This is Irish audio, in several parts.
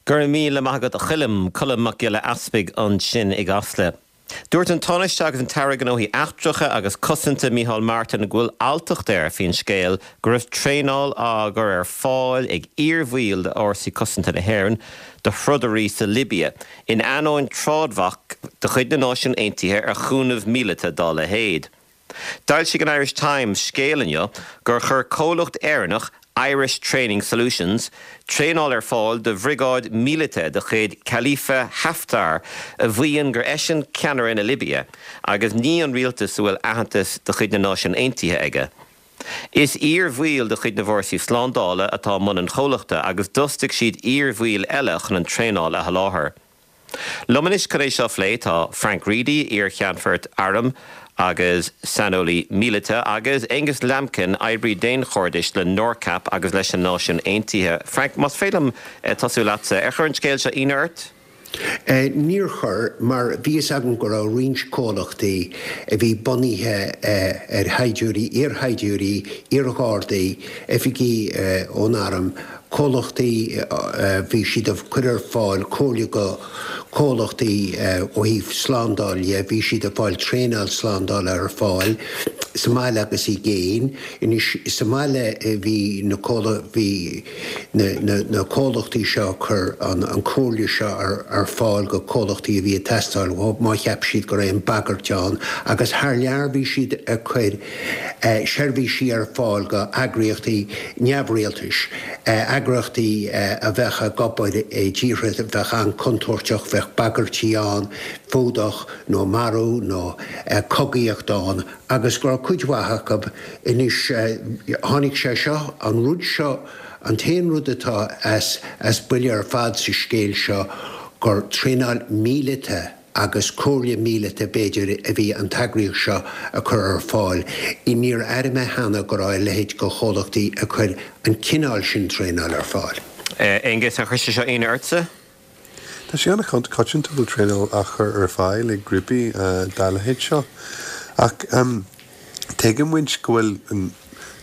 Go raibh míle maith agat a Choilm, Colm Mac Giolla Easpaig ansin i gCasla. Dúirt an Tánaiste agus an tAire Gnóthaí Eachtracha agus Cosanta Micheál Martin go bhfuil alltacht air faoin scéal go raibh traenáil á gcur ar fáil ag iarbhaill d'Fhórsaí Cosanta na hÉireann do throdairí sa Libia in ainneoin trádbhac de chuid na Náisiún Aontaithe ar chúnamh míleata dá leithéid. D'fhoilsigh an Irish Times scéal inniu gur chuir comhlacht Éireannach, Irish Training Solutions, traenáil ar fáil do bhriogáid míleata de chuid Khalifa Haftar a mhaíonn gur eisean ceannaire na Libia agus ní an rialtas a bhfuil aitheantas de chuid na Náisiún Aontaithe aige. Is iar-bhaill de chuid na bhfórsaí slándála atá i mbun an chomhlachta agus d'fhostaigh siad iar-bhaill eile chun an traenáil a sholáthar. Liom anois chun é seo a phlé tá Frank Reidy, iar-cheannfort airm agus saineolaí míleata, agus Aonghus Lambkin, oibrí daonchairdis le NORCAP agus leis na Náisiúin Aontaithe. Frank, más féidir liom tosú leatsa, ar chuir an scéal seo ionadh ort? Níor chuir, mar bhí fhios agam go raibh roinnt comhlachtaí a bhí bunaithe ar shaighdiúirí, iar-shaighdiúirí, iar-ghardaí, oifigigh ón arm, comhlachtaí, bhí siad ag cur ar fáil comhairle go comhlachtaí ó thaobh slándáil dhe, bhí siad ag fáil traenáil slándála ar fáil sa mbaile agus i gcéin. Anois sa mbaile bhí na bhí na comhlachtaí seo ag cur an comhairle seo ar fáil go comhlachtaí a bhí ag teastáil uathu má cheap siad go raibh aon bagairt ann agus thar lear bhí siad ag cur seirbhísí ar fáil go eagraíochtaí neamhrialtais, eagraíochtaí a bheadh ag obair i dtíortha a bheadh an-chontúirteach, bheadh bagairtí ann, fuadach nó marú nó cogaíocht ann agus go raibh cuid mhaith acu. Anois tháinig sé seo, an rud seo, an t-aon rud atá as buile ar fad sa scéal seo gur traenáil míleata, agus comhairle míleata b'fhéidir a bhí an t-eagraíocht seo a cur ar fáil. Níor airigh mé cheana go raibh a leithéid de chomhlachtaí ag cur an cineál sin traenáil ar fáil. Aonghus, ar chuir sé seo ionadh ortsa? Tá sé an-choitianta go bhfuil traenáil á chur ar fáil ag grúpaí dá leithéid seo. Ach Tuigeann muid go bhfuil an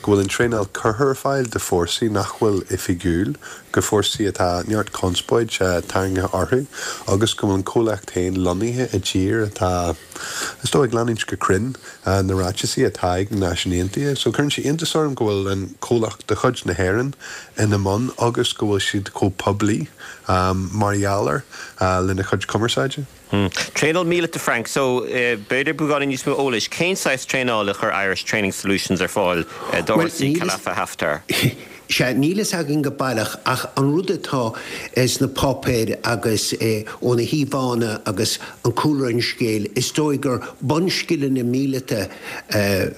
go bhfuil an traenáil curtha ar fáil do fórsaí nach bhfuil oifigiúil, go fórsaí atá neart conspóid tarraingthe orthu agus go bhfuil an comhlacht féin lonnaithe i dtír atá, is dóigh, ag leanúint go cruinn na ráiteasaí atá ag na Náisiúin Aontaithe. So cuireann sé iontas orm go bhfuil an comhlacht de chuid na hÉireann ina mbun agus go bhfuil siad chomh poiblí mar gheall air lena chuid cumarsáide. Traenáil míleata Frank, So, b'fhéidir beagáinín níos mó eolais, cén saghas traenála a chuir Irish Training Solutions ar fáil d'fhórsaí Khalifa Haftar? Sea, níl fhios againn go baileach ach an rud atá sna páipéir agus ó na híomhánna agus an cúlra an scéil, is dóigh gur bunscileanna míleata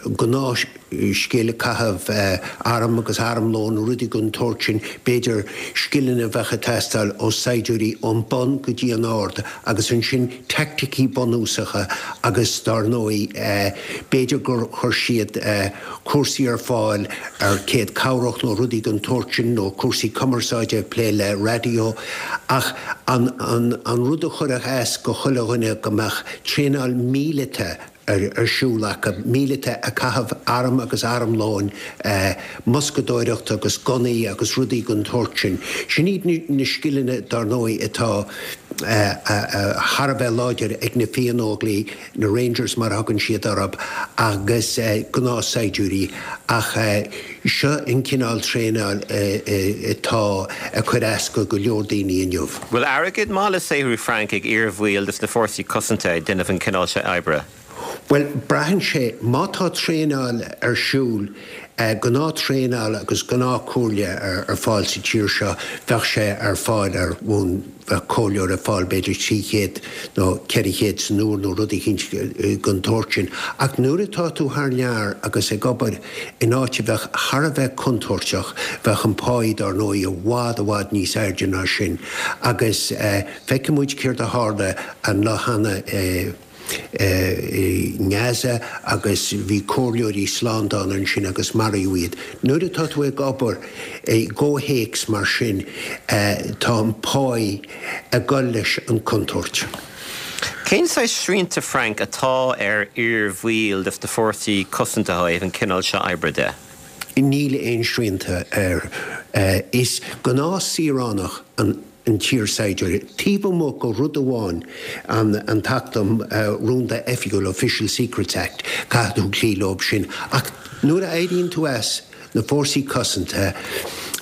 gnáth, scil caitheamh arm agus armlón, rudaí den tsórt sin, b'fhéidir scileanna a bheadh ag teastáil ó saighdiúirí ón bun go dtí an ard agus ansin teaicticí bunúsacha agus dár ndóigh b'fhéidir gur chuir siad cúrsaí ar fáil ar chéad chabhrach nó rudaí den tsórt sin nó cúrsaí cumarsáide, plé le raidió ach an rud a chuirfeadh as go chuile dhuine go mbeadh traenáil míleata ar siúl acu, míleata ag caitheamh arm agus armlóin, muscadóireacht agus gunnaí agus rudaí den tsórt sin. Sin iad na scileanna, dar ndóigh, atá thar a bheith láidir ag na Fiannóglaigh, na Rangers mar a thugann siad orthu, agus gnáthshaighdiúirí. Ach seo an cineál traenáil atá ag cur as go go leor daoine inniu. Bhfuil airgead maith le saothrú Frank ag iar-bhaill des na fórsaí cosanta ag déanamh an cineál seo oibre? Bhuel, braitheann sé. Má tá traenáil ar siúl, gnáth-traenáil agus gnáth-chomhairle ar fáil sa tír seo, bheadh sé ar fáil ar bhonn, bheadh comhairleoir ar fáil b'fhéidir 300 nó 400 san uair nó rud eicínt den tsórt sin. Ach nuair atá tú thar lear agus ag obair in áit a bheadh thar a bheith contúirteach, bheadh an páí dár ndóigh i bhfad, i bhfad níos airde ná sin. Agus feicfidh muid céard a tharla an lá cheana i. i nGaza agus bhí comhairleoirí slándála ansin agus maraíodh iad. Nuair atá tú ag obair i gcomhthéacs mar sin tá an páí ag dul leis an contúirt. Cén saghas srianta, Frank, atá ar iar-bhaill des na fórsaí cosanta ó thaobh an cineál seo oibre de? Níl aon srianta air. Is gnáth saoránach an. an t-iarshaighdiúir, taobh amuigh de rud amháin, an tAcht um Rúnda Oifigiúil, Official Secrets Act, caithfidh tú cloí leo sin. Ach nuair a éiríonn tú as na Fórsaí Cosanta,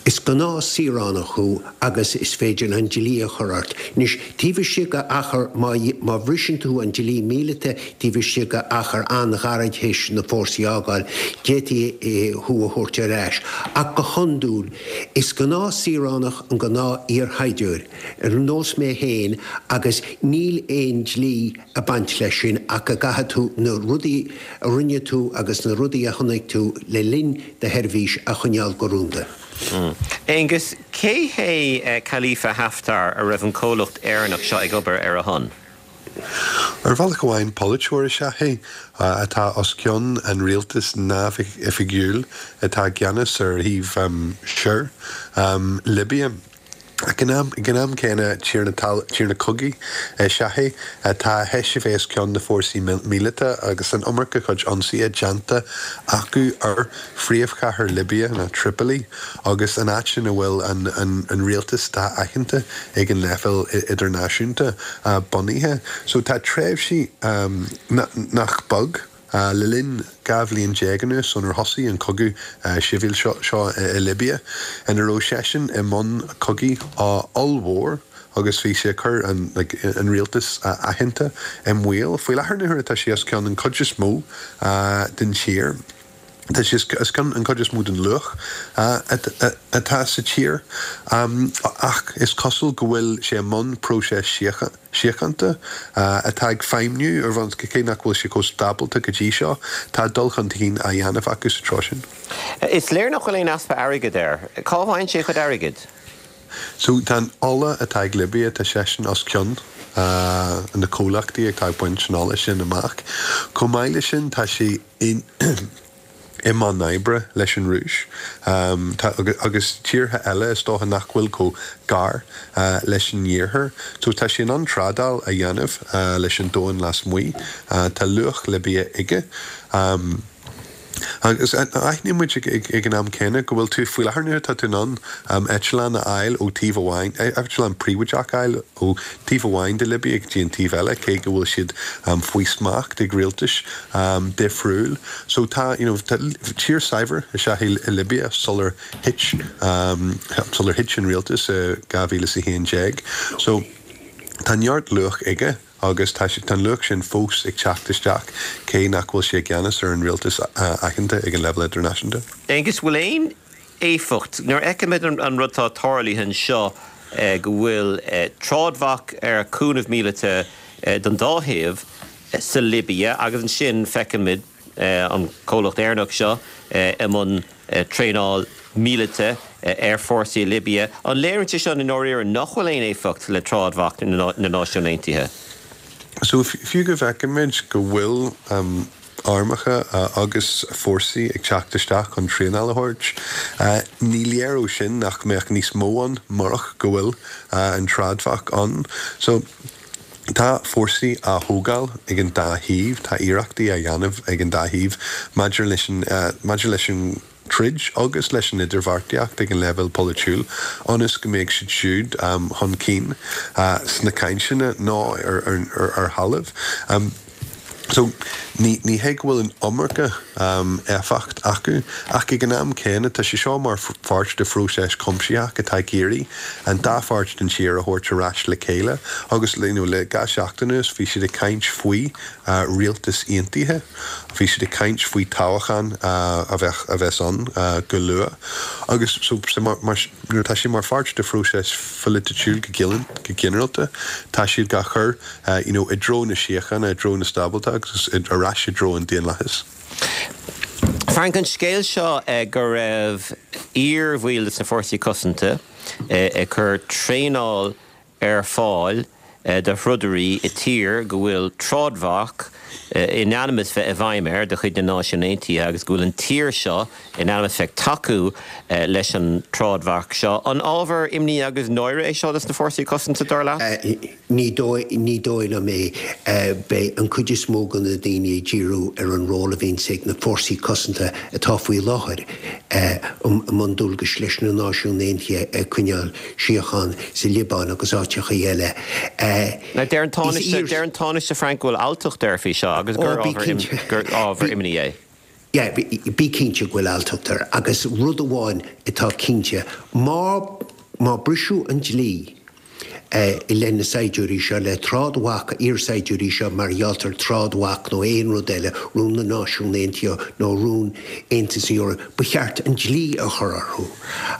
is gnáth-saoránach thú agus is féidir an dlí a chur ort. Anois, taobh istigh de achar, má, má bhriseann tú an dlí míleata, taobh istigh de achar an-ghairid théis na fórsaí a fhágáil, d'fhéadfaí thú a thabhairt ar ais. Ach go hiondúil, is gnáth-saoránach an gnáth-iarshaighdiúir, ar nós mé féin, agus níl aon dlí ag baint leis sin ach go gcaithfidh tú na rudaí a rinne tú agus na rudaí a chonaic tú le linn do sheirbhís a choinneáil go rúnda. Aengus, cé hé Khalifa Haftar a raibh an comhlacht Éireannach seo ag obair ar a shon? Ar bhealach amháin, polaiteoir is ea é atá os cionn an rialtais neamhoifigiúil atá i gceannas ar thaobh soir Libia. Ag an am céanna, tiarna cogaidh is ea é atá théis a bheith os cionn na fórsaí míleata agus an iomarca cuid ionsaithe déanta acu ar phríomhchathair Libia, ná Tripoli, agus an áit ina bhfuil an rialtas atá aitheanta ag an leibhéal idirnáisiúnta bunaithe. So tá tréimhsí nach beag le linn 12 bhliain anuas ónar thosaigh an cogadh sibhialta seo i Libia ina raibh seisean i mbun cogaidh ollmhór agus bhí sé ag cur an rialtas aitheanta i mbaol. Faoi láthair na huaire tá sé os cionn an chuid is mó den tír. Tá sé os cionn an chuid is mó den luach atá sa tír, ach is cosúil go bhfuil sé i mbun próiseas síochánta atá ag feidhmiú ar bhonn, cé nach bhfuil sé chomh stábalta go dtí seo, tá dul chun cinn á dhéanamh acu sa treo sin. Is léir nach bhfuil aon easpa airgid air. Cá bhfaigheann sé a chuid airgid? So, tá an ola atá ag Libia, tá seisean os cionn na comhlachtaí atá ag baint an ola sin amach. Chomh maith leis sin, tá sé i mbun oibre leis an Rúis agus tíortha eile is dócha nach bhfuil chomh gar leis an Iarthar. So tá sé in ann trádáil a dhéanamh leis an domhan lasmuigh. Tá luach Libia aige. Agus aithníonn muid ag an am céanna go bhfuil tú, faoi láthair na huaire, tá tú in ann eitleán a fháil ó taobh amháin, eitleán príobháideach a fháil ó taobh amháin de Libia go dtí an taobh eile, cé go bhfuil siad faoi smacht ag rialtais difriúil. So tá, you know, tá tír saibhir is ea í Libia sular thit, sular thit an rialtas i 2011. So tá neart luach aige. Agus tá tá an luach sin fós ag teacht isteach, cé nach bhfuil sé i gceannas ar an rialtas aitheanta ag an leibhéal idirnáisiúnta. Aengus, bhfuil aon éifeacht, nuair a fheicimid an rud atá tarlaithe anseo, go bhfuil trádbhac ar chúnamh míleata don dá thaobh sa Libia agus ansin feicimid an comhlacht Éireannach seo i mbun traenáil míleata ar fórsaí i Libia. An léiríonn sé seo i ndáiríre nach bhfuil aon éifeacht le trádbhac na Náisiún Aontaithe? So, fiú go bhfeicimid go bhfuil armacha agus fórsaí ag teacht isteach chun traenáil a thabhairt, ní léir ó sin nach mbeadh níos mó ann murach go bhfuil an trádbhac ann. So. Tá fórsaí á thógáil ag an dá thaobh, tá iarrachtaí á dhéanamh ag an dá thaobh maidir leis an maidir leis an troid agus leis an idirbheartaíocht ag an leibhéal polaitiúil ionas go mbeidh siad siúd chun cinn sna cainteanna nó ar thalamh. So, ní, ní hé go bhfuil an iomarca éifeacht acu, ach ag an am céanna, tá sé seo mar pháirt de phróiseas cuimsitheach atá ag iarraidh an dá pháirt den tír a thabhairt ar ais le chéile agus, you know, le dhá sheachtain anuas, bhí siad ag caint faoi rialtas aontaithe, bhí siad ag caint faoi toghchán a bheadh, a bheas ann go luath agus so, so mar, mar, nuair atá sé mar pháirt de phróiseas phoiliticiúil go go ginearálta, tá siad á chur you know, i dtreo na síochána, i dtreo na stábalta agus ar ais i dtreo an daonlathais. Frank, an scéal seo go raibh iar-bhaill de na Fórsaí Cosanta ag cur traenáil ar fáil do throdairí i tír go bhfuil trádbhac in ainm is bheith i bhfeidhm air de chuid na Náisiún Aontaithe agus go bhfuil an tír seo in ainm is bheith ag tacú leis an trádbhac seo. An ábhar imní agus náire é seo dos na Fórsaí Cosanta, dar leat? Ní dóigh, ní dóigh liom é. Beidh an cuid is mó de na daoine ag díriú ar an ról a bhíonns ag na fórsaí cosanta atá faoi láthair. i mbun dualgais leis na Náisiúin Aontaithe ag coinneáil síocháin sa Liobáin agus áiteachaí eile. Now deir an Tánaiste, deir an Tánaiste Frank go bhfuil alltacht air faoi seo agus gur gur ábhar imní é. Yeah, bí cinnte go bhfuil alltacht air agus rud amháin atá cinnte, má má briseadh an dlí, i leith na saighdiúirí seo, le trádbhac, iar-saighdiúirí seo mar ghealltar trádbhac nó aon rud eile, rún na Náisiún Aontaithe nó rún Aontas na Eorpa, ba cheart an dlí a chur orthu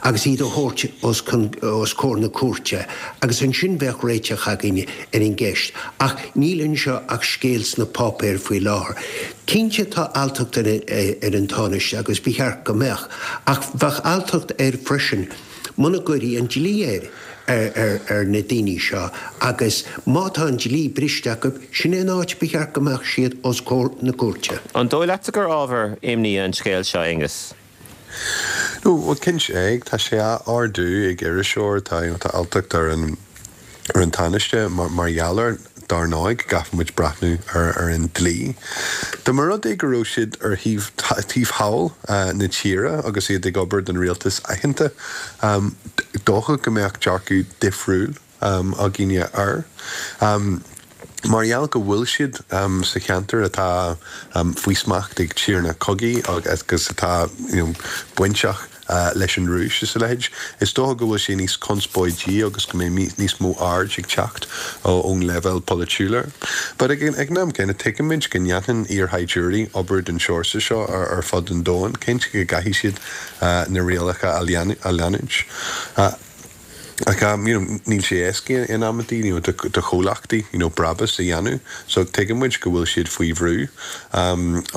agus iad a thabhairt os os comhair na cúirte agus ansin bheadh réiteach againn ar an gceist. Ach níl anseo ach scéal sna páipéir faoi láthair. Cinnte tá alltacht ar ar an Tánaiste agus ba cheart go mbeadh, ach bheadh alltacht air freisin muna gcuirfí an dlí air. ar na daoine seo agus má tá an dlí briste acu, sin é an áit ba cheart go mbeadh siad, os comhair na cúirte. An dóigh leatsa gur ábhar imní an scéal seo, Aengus? No, bhuel, cinnte, tá sé á ardú ag iriseoir, tá, you know, tá alltacht ar an, ar an Tánaiste mar gheall air. Dar ndóigh, go gcaithfidh muid breathnú ar an dlí. Dá mba rud é go raibh siad ar thaobh taobh thall na tíre agus iad ag obair don rialtas aitheanta, dócha go mbeadh dearcadh difriúil againne air. Mar gheall go bhfuil siad sa cheantar atá faoi smacht ag tiarna cogaidh agus atá bainteach leis an Rúis is a leithéid, is dócha go bhfuil sé níos conspóidí agus go mbeidh níos mó aird ag teacht ón leibhéal polaitiúil air. But ag an am céanna, tuigimid go ndéanann iarshaighdiúirí obair den sórt seo ar fud an domhain. Cinnte go gcaithfidh siad na rialacha a leanúint. Ach you know níl sé éasca in amantaí you know do chomhlachtaí you know brabús a dhéanamh so tuigeann muid go bhfuil siad faoi bhrú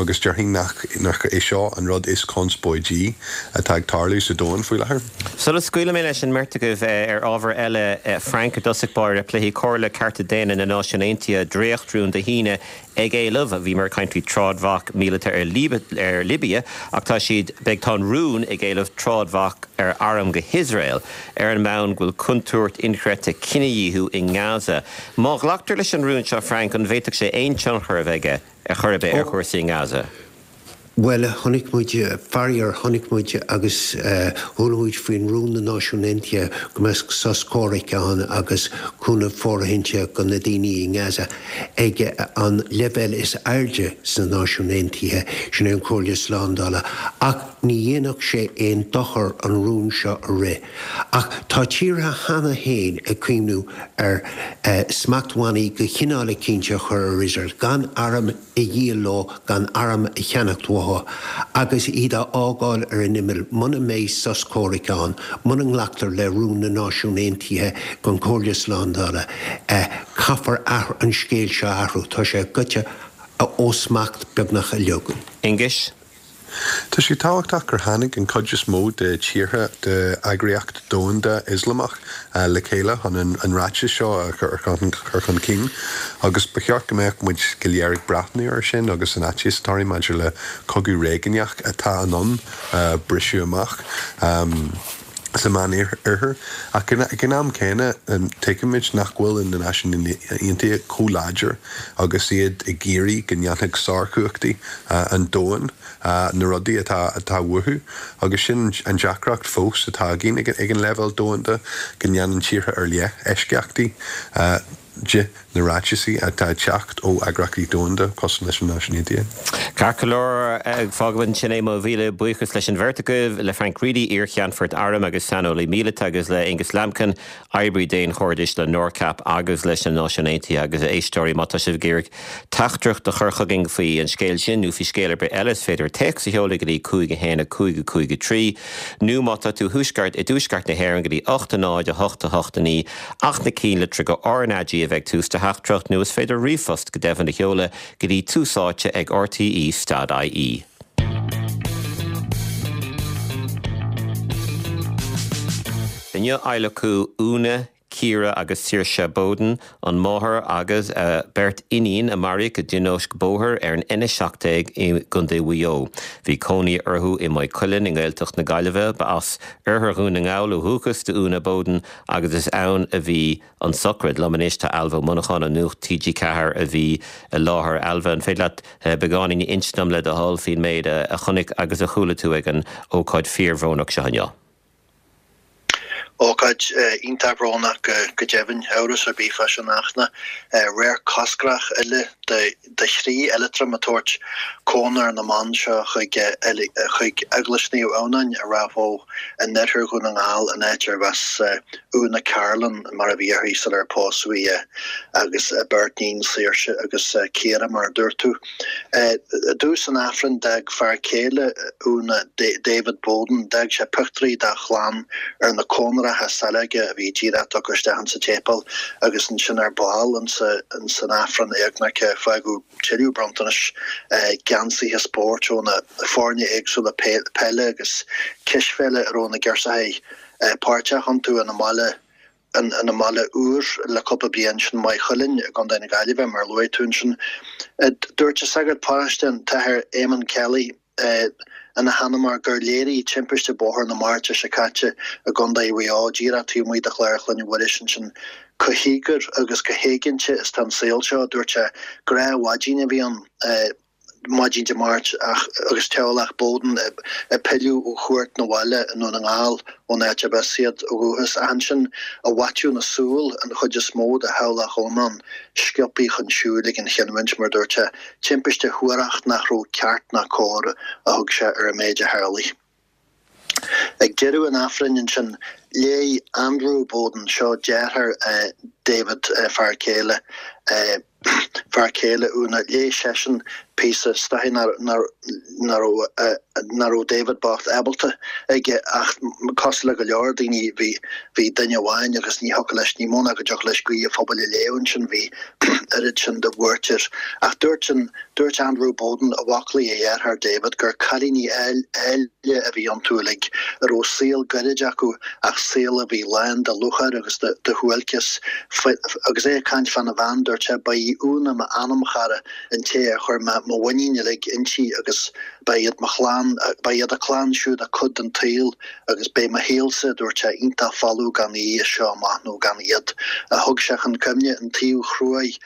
agus déarfainn nach nach é seo an rud is conspóidí atá ag tarlú sa domhan faoi láthair. Sula scaoilfidh mé leis an mbeirt agaibh ar ábhar eile, Frank, i dtosach báire, pléifidh Comhairle Cearta Daonna na Náisiún Aontaithe dréachtrún Dé hAoine ag éileamh, bhíomar ag caint faoi trádbhac míleata ar ar Libia ach tá siad, beidh, tá an rún ag éileamh trádbhac ar airm go hIosrael ar an mbonn go bhfuil contúirt inchreidte cinedhíothú i nGaza. Má ghlactar leis an rún seo, Frank, an bhféadfadh sé aon tionchar a bheith aige ar chor ar bith ar chúrsaí i nGaza? Bhuel, chonaic muid, faraor, chonaic muid agus chuala muid faoin rún na Náisiún Aontaithe go mbeadh sos comhraic ann agus cúnamh fóirithinte do na daoine i nGaza ag an leibhéal is airde sna Náisiúin Aontaithe, sin é an Chomhairle Slándála. Ach ní dhéanfadh sé aon dochar an rún seo a rith. Ach tá tíortha cheana féin ag cuimhniú ar smachtbhannaí de chineál eicínt a chur ar Iosrael, gan airm a dhíol leo, gan airm a cheannacht uathu, agus iad a fhágáil ar an imeall muna mbeidh sos comhraic ann, muna nglactar le rún na Náisiún Aontaithe don Chomhairle Slándála. Caithfear an scéal seo a athrú. Tá sé goite ó smacht beagnach uilig. Aengus? Tá sé tábhachtach gur tháinig an chuid is mó de tíortha de Eagraíocht Domhanda Ioslamach le chéile chun an ráiteas seo a chur chun cinn agus ba cheart go mbeadh muid go léir ag breathnú air sin agus an fhaitíos atá orainn maidir le cogadh réigiúnach atá in ann briseadh amach sa Meánoirthear. Ach ag an am céanna, tuigimid nach bhfuil na Náisiúin Aontaithe chomh láidir agus iad ag iarraidh go ndéanfadh sárchumhachtaí an domhain na rudaí atá uathu. Agus sin an deacracht fós atá againn ag an leibhéal domhanda, go ndéanann tíortha ar leith eisceachtaí de na ráitisí atá ag teacht ó eagraíochtaí domhanda cosúil leis na Náisiúin Aontaithe. Ceart go leor, fágfaimid ansin é. Mo mhíle buíochas leis an bheirt agaibh, le Frank Reidy, iar-cheannfort airm agus saineolaí míleata agus le Aengus Lambkin, oibrí daonchairdis le NORCAP agus leis na Náisiúin Aontaithe. Agus a éisteoirí, má tá sibh ag iarraidh teachtaireacht a chur chugainn faoi an scéal sin nó faoi scéal ar bith eile, is féidir téacs a sheoladh go dtí 5 1 5 5 3 nó má tá tú thuaisceart, i dtuaisceart na hÉireann go dtí 8 0 8 8 9. Ach na cinnlitreacha RnaG a bheith ag tús do theachtaireacht nó is féidir ríomhphost go deimhin a sheoladh go dtí Tús Áite ag rte stad ie. Inniu adhlacadh Úna. Ciara agus Saoirse Bowden, an máthair agus a beirt iníon a maraíodh i dtionóisc bóthair ar an N17 i gContae Mhaigh Eo. Bhí cónaí orthu i Maigh Cuilinn i nGaeltacht na Gaillimhe. Ba as oirthear Dhún na nGall ó dhúchas d'Úna Bowden agus is ann a bhí an tsochraid. Liom anois tá Ailbhe Ó Monacháin ó Nuacht TG4 a bhí i láthair. Ailbhe, an féidir leat beagáinín a inse dom le do thoil faoin méid a chonaic agus a chuala tú ag an ócáid fíorbhrónach seo inniu? Ócáid iontach bhrónach go deimhin, amhras ar bith fá sin a Fhachtna. Radharc coscrach eile de chroí Ailiotram ag tabhairt cónra na mban seo chuig chuig Eaglais Naomh Adhamhnáin i Ráth Bhoth in oirthear Dhún na nGall, an áit arbh as Úna Carlin, mar a bhí uirthi sular pósadh í, agus a beirt níon Saoirse agus Ciara, mar a dúirt tú. I dtús an Aifrinn d'fhág fear céile Úna, David Bowden, d'fhág sé pictiúirí dá chlann ar na cónracha saileoige a bhí díreach tugtha isteach insa tséipéal agus ansin ar ball insa san Aifreann éagnairce fágadh tuilleadh bronntanais, geansaithe spóirt ó na foirne éagsúla peile agus cispheile a raibh na girseachaí páirteach iontu ina mbaile ina mbaile úr le cúpla bliain, sin Maigh Chuilinn i gContae na Gaillimhe, mar a luaigh tú ansin. Dúirt an sagart paróiste, an tAthair Éamonn Kelly, ina sheanmóir gur léirigh timpiste bóthair na Máirte seo caite i gContae Mhaigh Eo, díreach taobh amuigh de Chlár Chlainne Mhuiris ansin, chomh híogair agus chomh héiginnte is atá an saol seo. Dúirt sé, Gnáthmhaidin a bhí ann. Maidin Dé Máirt ach agus teaghlach Bowden ag pilleadh ó chuairt 'na bhaile i nDún na nGall ón áit arb as iad ó dhúchas. Ach ansin i bhfaiteadh na súl an chuid is mó de theaghlach iomlán sciobtha chun siúil ag an chinniúint, mar dúirt sé. Timpiste shuarach nach raibh ceart ná cóir a thug sé ar an méid a tharlaigh. Ag deireadh an Aifrinn ansin, léigh Andrew Bowden, seo deartháir David, fear céile, fear céile Úna, léigh seisean píosa, is dóichí nach raibh David bocht ábalta aige ach cosúil le go leor daoine bhí, bhí duine amháin agus ní thiocfadh leis, ní mó ná go dtiocfadh leis guí an phobail a léamh ansin, bhí oiread sin de bhuairt air. Ach dúirt an. Dúirt Andrew Bowden i bhfoclaí a dhearthár David gur cailíní áille a bhí iontu uilig, a raibh saol gairid acu ach saol a bhí lán de lúcháir agus de shuáilceas. Agus é ag caint fána bhean, dúirt sé, Ba í Úna m'anamchara, an té ar chuir mé mo mhuinín uilig inti agus ba iad mo chlann, ba iad a clann siúd a cuid den tsaol agus beidh mo shaolsa, a dúirt sé, iontach folamh gan í as seo amach nó gan iad. Thug sé chun cuimhne an taobh chruaidh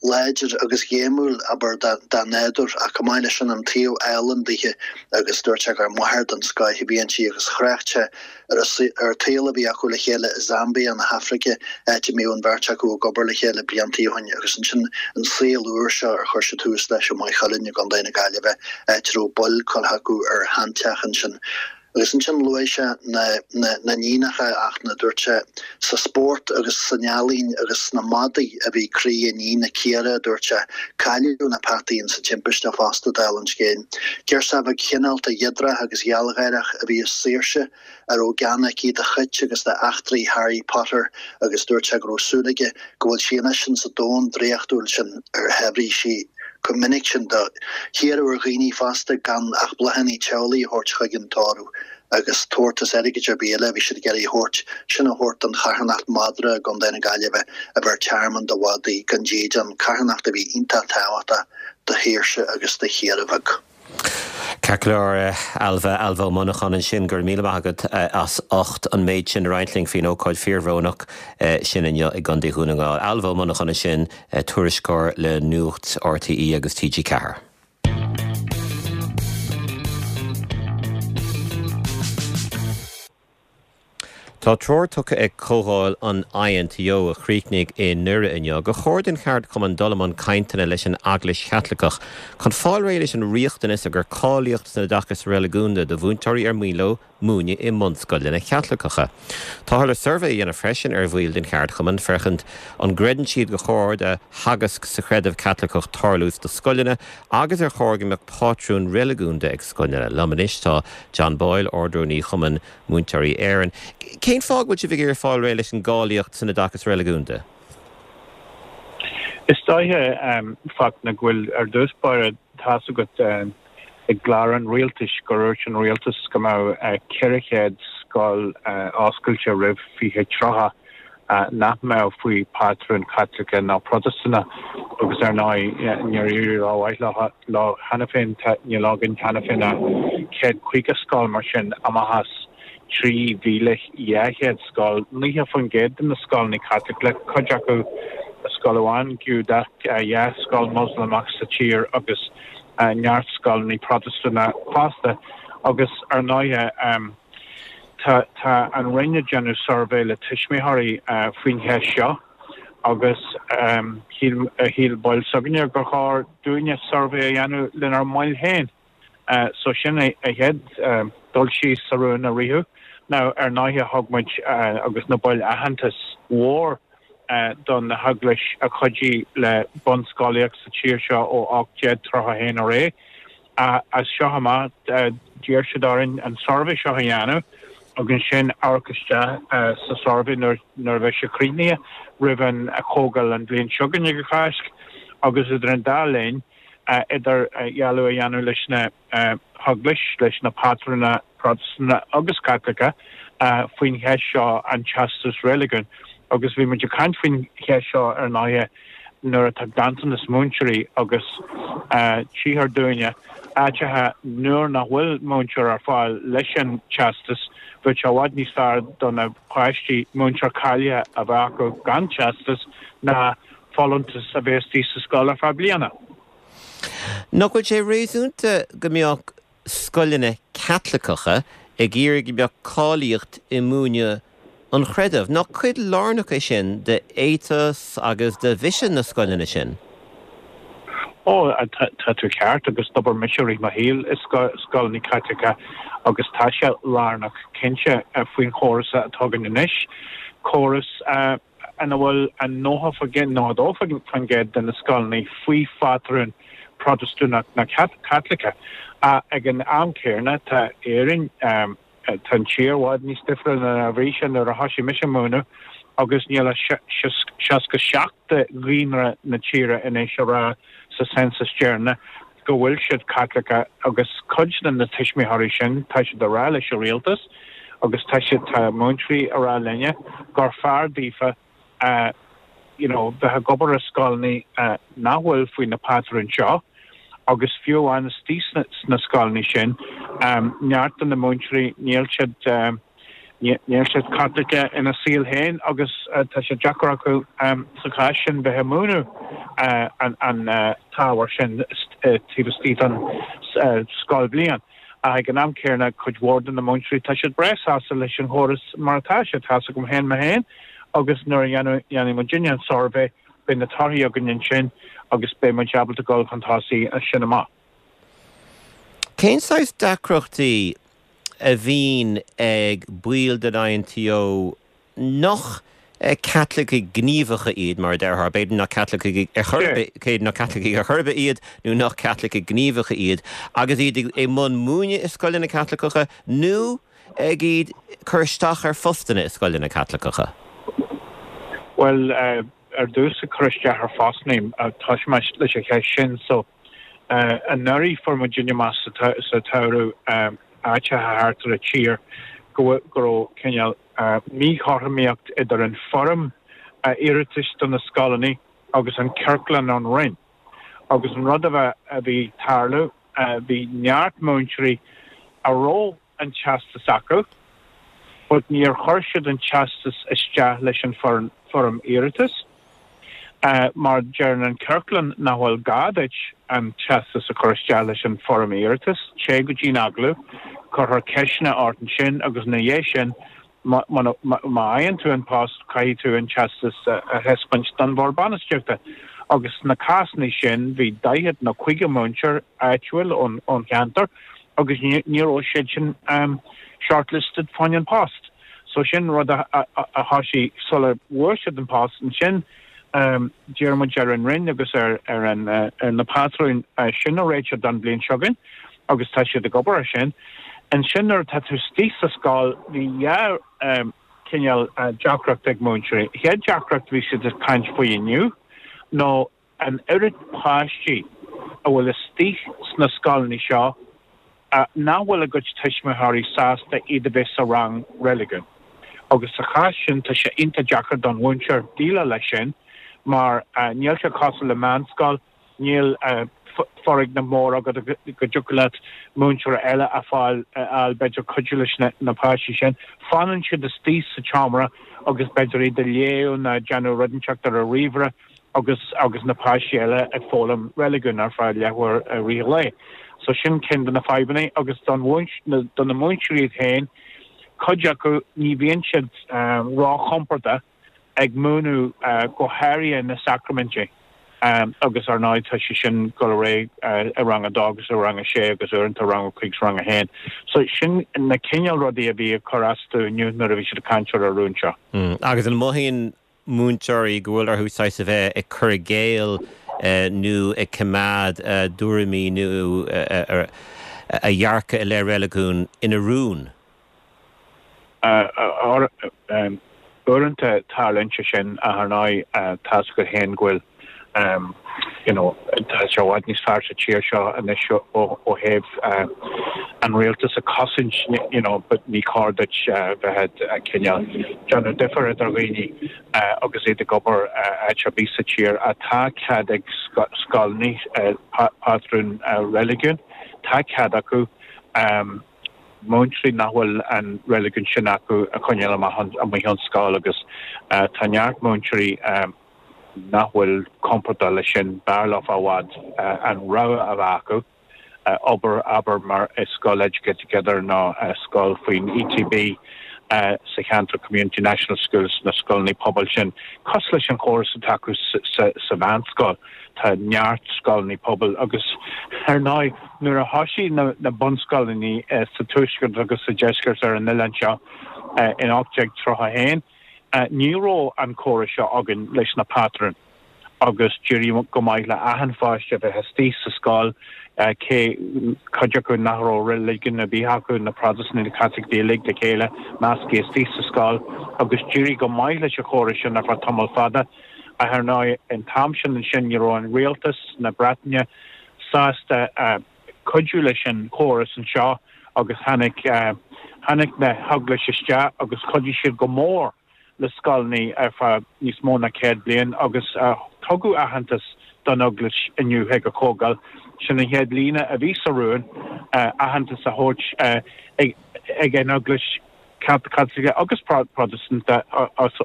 láidir agus ghéimiúil, abair, dá nádúr, ach chomh maith leis sin an taobh álainn dithe agus dúirt sé gur máthair den scoith a bhí inti agus thrácht sé ar an tsaol a bhí acu le chéile i Zambia na hAfraice, áit a mbíodh an bheirt acu ag obair le chéile blianta ó shin agus ansin an saol úr seo ar chuir siad tús leis i Maigh Chuilinn i gContae na Gaillimhe, áit a raibh baill curtha acu ar sheanteach ansin. Agus ansin luaigh sé na n-iníonacha ach na, dúirt sé, sa spórt agus san ealaín agus sna madaí a bhí croí a níne Ciara, a dúirt sé. Cailleadh na peataí insa timpiste fosta, dála an scéil. Girseach bheag chineálta dhíograiseach agus ghealgháireach a bhí i Saoirse, a raibh gean aici do chait agus d'eachtraí Harry Potter agus dúirt sé go raibh súil aige go bhfuil sí anois insa domhan draíochtúil sin ar thaibhrigh sí chomh minic sin. Hiarradh ar dhaoine fosta gan ach bláthanna teaghlaigh a thabhairt chuig an tórramh agus tabhartas airgid ar bith eile a bhí siad ag iarraidh a thabhairt, sin a thabhairt don charthanacht madra i gContae na Gaillimhe a bheir tearmann do mhadaí gan dídean, carthanacht a bhí iontach tábhachtach do Shaoirse agus do Chiara bheag. Ceart go leor, Ailbhe, Ailbhe Ó Monacháin ansin, go raibh míle maith agat as ucht an méid sin a roinnt linn faoin ócáid fíorbhrónach sin inniu i gContae Dhún na nGall. Ailbhe Ó Monacháin ansin, tuairisceoir le Nuacht RTÉ agus TG4. Tá treoir tugtha ag Comhdháil an INTO, a chríochnaigh i nDoire inniu, gur chóir don cheardchumann dul i mbun cainteanna leis an Eaglais Chaitliceach chun fáil réidh leis an riachtanas a gur cáilíocht san oideachas reiligiúnda do mhúinteoirí ar mian leo múineadh i mbunscoileanna Chaitliceacha. Táthar le suirbhé a dhéanamh freisin ar bhaill den cheardchumann féachaint an gcreideann siad gur chóir do theagasc sa chreideamh Caitliceach tarlú sna scoileanna agus ar chóir go mbeadh pátrún reiligiúnda ag scoileanna. Liom anois tá John Boyle, Ard-Rúnaí Chumann Múinteoirí Éireann. Cén fáth go bhfuil sibh ag iarraidh fáil réidh leis an gcáilíocht san oideachas reiligiúnda? Is dóiche, Fachtna, go bhfuil, ar dtús báire, tá's agat i gclár an rialtais gur dhúirt an rialtas go mbeadh 400 scoil oscailte roimh 2030. nach mbeadh faoi phátrún Caitliceach ná Protastúnach agus ar ndóigh níor éirigh rómhaith leo cheana féin. Níl againn cheana féin ach 150 scoil mar sin amach as 3,200 scoil, 90% de na scoileanna Caitliceacha, cuid acu scoil amháin Giúdach, 2 scoil Moslamach sa tír agus neart scoileanna Protastúnacha fosta agus ar ndóigh tá tá an Roinn ag déanamh suirbhé le tuismitheoirí faoin cheist seo agus shíl shíl baill s'againne gur chóir dúinne suirbhé a dhéanamh lenár mbaill féin. So sin an chéad dul síos sa rún a ritheadh. Now ar ndóighe thug muid agus na baill aitheantas mhór don na heaglais a chuidigh le bunscolaíocht sa tír seo ó 1831 ar aghaidh. As seo amach d'iarr siad orainn an suirbhé seo a dhéanamh agus ansin amharc isteach sa suirbhé nuair a bheidh sé críochnaithe roimh an chomhdháil an bhliain seo chugainn ag an Cháisc agus idir an dá linn idirdhealú a dhéanamh leis na heaglais, leis na pátrúna Protastúnacha agus Caitliceacha faoin cheist seo, an teastas reiligiúin. Agus bhí muid ag caint faoin cheist seo ar ndóighe nuair atá ganntanas múinteoirí agus tchíthear dúinne áiteacha nuair nach bhfuil múinteoir ar fáil leis an teastas, bheadh sé i bhfad níos fearr do na páistí múinteoir cáilithe a bheith acu gan teastas ná folúntas a bheith istigh sa scoil ar feadh bliana. Nach bhfuil sé réasúnta go mbeadh scoileanna Caitliceacha ag iarraidh go mbeadh cáilíocht i múineadh an chreidimh? Nach cuid lárnach é sin de éiteas agus de mhisean na scoileanna sin? Ó, tá tú ceart agus d'obair mise i rith mo shaoil i scoileanna Caitliceacha agus tá sé lárnach cinnte faoin chóras atá againn anois, córas ina bhfuil an 90%, 92% de na scoileanna faoi phátrún Protastúnach ná Caitliceach. Ach ag an am céanna, tá Éirinn, tá an tír i bhfad níos difriúla ná a bhí sé nuair a thosaigh mise ag múineadh agus níl ach 67 de dhaonra na tíre anois a rá sa census deireanach go bhfuil siad Caitliceach agus cuid de na tuismitheoirí sin, tá siad ag rá leis an rialtas agus tá siad, tá múinteoirí ag rá linne gur fearr daofa you know bheith ag obair i scoileanna nach bhfuil faoi na pátrúin seo agus fiú amháin istigh sna scoileanna sin, neart de na múinteoirí níl siad Níl siad Caitliceach ina saol féin agus tá sé deacair acu sa chás sin bheith ag múineadh an t-ábhar sin taobh istigh den scoilbhliain. Ach ag an am céanna, cuid mhór de na múinteoirí, tá siad breá sásta leis an chóras mar atá sé. Tá's agam féin mé féin agus nuair a dhéanfaidh muidinne an suirbhé, beidh na torthaí againn ansin agus beidh muid ábalta dul chun tosaigh as sin amach. Cén saghas deacrachtaí a bhíonn ag baill den INTO nach Caitlicigh ghníomhacha iad, mar a déarfá, b'fhéidir nach Caitlicigh ar chor ar bith, b'fhéidir nach Caitlicigh ar chor ar bith iad nó nach Caitlicigh ghníomhacha iad, agus iad i mbun múineadh i scoileanna Caitliceacha nó ag iad cur isteach ar phostanna i scoileanna Caitliceacha? Bhuel, ar dtús ag cur isteach ar phostanna, toiseoidh mé leis an cheist sin. So. Anuraidh fuair muidinne amach sa tsamhradh áiteacha thart ar an tír go raibh cineál míchothromaíocht idir an foirm iarratais do na scoileanna agus an ciorclán ón Roinn. Agus an rud a bhí ag tarlú, bhí neart múinteoirí a raibh an teastas acu but níor chuir siad an teastas isteach leis an foirm iarratais mar deireann an ciorclán nach bhfuil gá duit an teastas a chur isteach leis an foirm iarratais, téigh go dtí an agallamh, cuirfear ceisteanna ort ansin agus ina dhiaidh sin má fhaigheann tú an post caithfidh tú an teastas a thaispeáint don bhord bainistíochta. Agus sna cásanna sin bhí 40 nó 50 múinteoir áitiúil ón cheantar agus ní raibh siad sin shortlisted fá choinne an post. So sin rud a thosaigh sula bhfuair siad an post. Ansin d'iarr muid ar an Roinn agus ar na pátrúin sin a réiteach don bhliain seo chugainn agus tá siad ag obair ar sin. Ansin nuair atá tú istigh sa scoil bhí dhá chineál deacracht ag múinteoirí. Chéad deacracht bhí siad ag caint faoi inniu nó an oiread páistí a bhfuil istigh sna scoileanna seo nach bhfuil a gcuid tuismitheoirí sásta iad a bheith sa rang reiligiúin. Agus sa chás sin tá sé iontach deacair don mhúinteoir déileáil leis sin mar níl sé cosúil le meánscoil, níl foirgneamh mór agat go dtiocfadh leat múinteoir eile a fháil b'fhéidir cuidiú leis na páistí sin. Fanann siad istigh sa tseomra agus b'fhéidir iad ag léamh nó ag déanamh rud inteacht ar a ríomhaire agus agus na páistí eile ag foghlaim reiligiún ar feadh leathuair i rith an lae. So sin ceann de na fadhbanna agus don do na múinteoirí iad féin, cuid acu ní bhíonn siad róchompordach ag múineadh go háirithe na sacraimintí agus ar ndóigh tá sé sin ag dul ar aghaidh i rang a dó agus i rang a sé agus uaireanta rang a cúig is rang a haon. So sin na cineál rudaí a bhí ag cur astu inniu nuair a bhí siad ag caint ar an rún seo. Agus an mothaíonn múinteoirí go bhfuil orthu saghas a bheith ag cur i gcéill nó ag coimeád a dtuairimí nó a dhearcadh i leith reiligiún ina rún? Uaireanta tarlaíonn sé sin ach ar ndóigh tá's agat féin go bhfuil you know tá sé i bhfad níos fearr sa tír seo anois ó thaobh an rialtas a chosaint you know but ní chóir duit bheith ag cineál déanamh difear idir dhaoine agus iad ag obair áit ar bith sa tír. Tá cead ag scoileanna pátrún reiligiún, tá cead acu. múinteoirí nach bhfuil an reiligiún sin acu a choinneáil amach amuigh ón scoil agus tá neart múinteoirí nach bhfuil compordach leis sin, b'fhearr leo i bhfad an rogha a bheith acu obair, abair, mar i scoil Educate Together nó scoil faoin ETB sa cheantar Community National Schools, na scoileanna pobail sin, cosúil leis an chóras atá acu sa mheánscoil. Tá neart scoileanna pobail agus ar ndóigh nuair a thoisigh na bunscoileanna sa tuaisceart agus sa deisceart ar an oileán seo in 1831 ní raibh an córas seo againn leis na pátrúin agus d'éirigh go maith le achan pháiste a bheith istigh sa scoil cé cuid acu nach raibh reiligiún ar bith acu, na Protastúnaigh, na Caitlicigh uilig le chéile measctha istigh sa scoil agus d'éirigh go maith leis an chóras sin ar feadh tamall fada. Ach ar ndóigh, an t-am sin ansin ní raibh an rialtas na Breataine sásta cuidiú leis an chóras anseo agus tháinig tháinig na hEaglais isteach agus chuidigh siad go mór le scoileanna ar feadh níos mó ná 100 bliain agus tugadh aitheantas don Eaglais inniu ag an chomhdháil. Sin an chéad líne a bhí sa rún, aitheantas a thabhairt ag an Eaglais. Caitliceach agus Protastúnach as